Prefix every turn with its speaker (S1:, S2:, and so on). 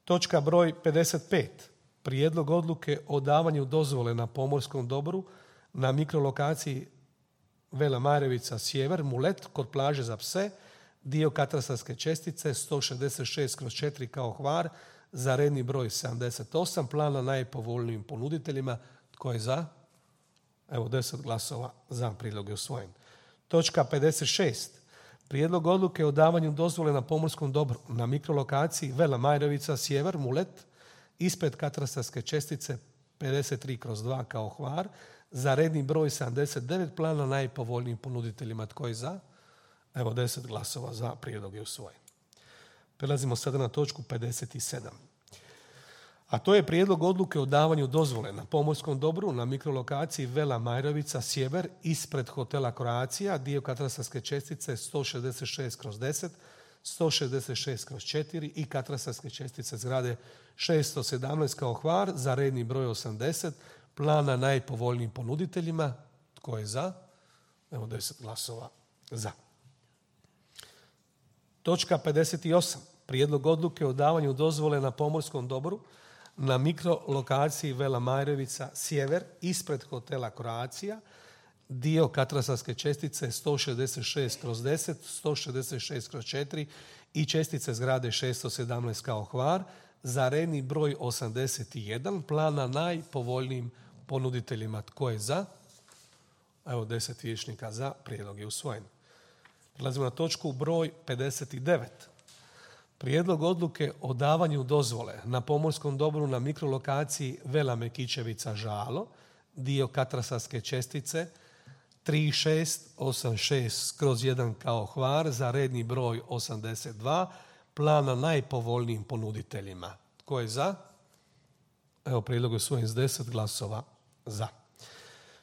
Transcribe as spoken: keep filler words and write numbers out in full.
S1: Točka broj pedeset pet. Prijedlog odluke o davanju dozvole na pomorskom dobru na mikrolokaciji Vela Marevica sjever, Mulet, kod plaže za pse, dio katastarske čestice sto šezdeset šest kroz četiri kao Hvar, za redni broj sedamdeset osam, plana najpovoljnijim ponuditeljima. Tko je za? Evo, deset glasova za, prijedlog je usvojen. Točka pedeset šest. Prijedlog odluke o davanju dozvole na pomorskom dobru na mikrolokaciji Vela Majrovica sjever, Mulet, ispred katastarske čestice pedeset tri kroz dva kao Hvar, za redni broj sedamdeset devet, plana najpovoljnijim ponuditeljima. Tko je za? Evo, deset glasova za, prijedlog je usvojen. Prelazimo sada na točku pedeset sedam. A to je prijedlog odluke o davanju dozvole na pomorskom dobru na mikrolokaciji Vela Majrovica sjever, ispred hotela Croatia, dio katastarske čestice sto šezdeset šest kroz deset, sto šezdeset šest kroz četiri i katastarske čestice zgrade šesto sedamnaest kao Hvar, za redni broj osamdeset, plana najpovoljnijim ponuditeljima. Tko je za? Evo, deset glasova za. Točka pedeset osam. Prijedlog odluke o davanju dozvole na pomorskom dobru na mikrolokaciji Vela Majrovica sjever, ispred hotela Croatia, dio katastarske čestice sto šezdeset šest kroz deset, sto šezdeset šest kroz četiri i čestice zgrade šesto sedamnaest kao Hvar, za redni broj osamdeset jedan, plana najpovoljnijim ponuditeljima. Tko je za? Evo, deset vijećnika za, prijedlog je usvojen. Prelazimo na točku broj pedeset devet. Prijedlog odluke o davanju dozvole na pomorskom dobru na mikrolokaciji Vela Mekićevica Žalo, dio katastarske čestice tri šest osam šest kroz jedan kao Hvar, za redni broj osamdeset dva, plana najpovoljnijim ponuditeljima. Tko je za? Evo, prijedlog je usvojen s deset glasova za.